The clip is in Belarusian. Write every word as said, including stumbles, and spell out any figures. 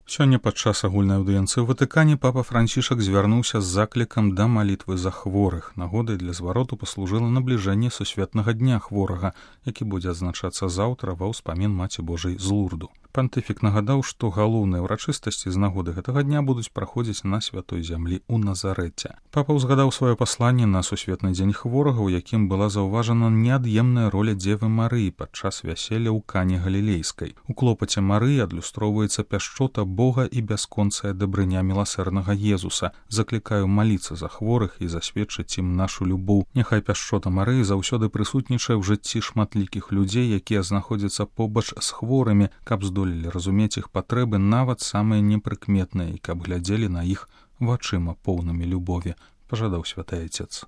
Сёння падчас агульнай аўдыенцыі ў Ватыкане папа Францішак звярнуўся з заклікам да малітвы за хворых. Нагодай для звароту паслужыла набліжэнне сусветнага дня хворага, які будзе адзначацца заўтра ва ўспамін Маці Божай з Лурду. Пантыфік нагадаў, што галоўныя ўрачыстасці з нагоды гэтага дня будуць праходзіць на святой зямлі ў Назарэце. Папа ўзгадаў сваё пасланне на сусветны дзень хворага, у якім была заўважана неад'емная роля Дзевы Марыі падчас вяселля ў Кане Галілейскай. У клопаце Марыі адлюстроўваецца пяшчота Бога і бясконцая дабрыня міласэрнага Езуса. Заклікаю маліцца за хворых і засведчыць ім нашу любоў. Няхай пяшчота Марыі заўсёды прысутнічае ў жыцці шматлікіх людзей, якія знаходзяцца побач з хворымі, каб здолелі разумець іх патрэбы нават самыя непрыкметныя і каб глядзелі на іх вачыма поўнымі любові, пажадаў святы айцец.